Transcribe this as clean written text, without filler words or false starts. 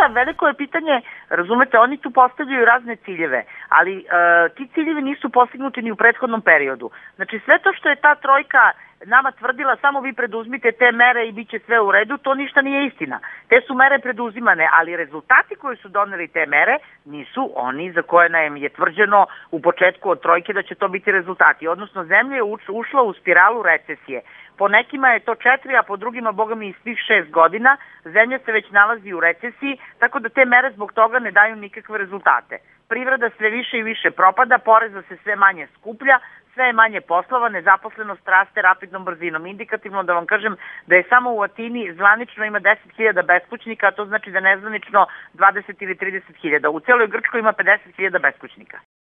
šta, veliko je pitanje, razumete, oni tu postavljaju razne ciljeve, ali ti ciljevi nisu postignuti ni u prethodnom periodu. Znači sve to što je ta trojka nama tvrdila, samo vi preduzmite te mere i bit će sve u redu, to ništa nije istina. Te su mere preduzimane, ali rezultati koji su doneli te mere nisu oni za koje nam je tvrđeno u početku od trojke da će to biti rezultati. Odnosno, zemlja je ušla u spiralu recesije. Po nekima je to 4, a po drugima, boga mi, i svih 6 godina. Zemlja se već nalazi u recesiji, tako da te mere zbog toga ne daju nikakve rezultate. Privreda sve više i više propada, poreza se sve manje skuplja, sve je manje poslova, nezaposlenost raste rapidnom brzinom. Indikativno da vam kažem da je samo u Atini zvanično ima 10.000 beskućnika, a to znači da nezvanično 20 ili 30.000. U celoj Grčkoj ima 50.000 beskućnika.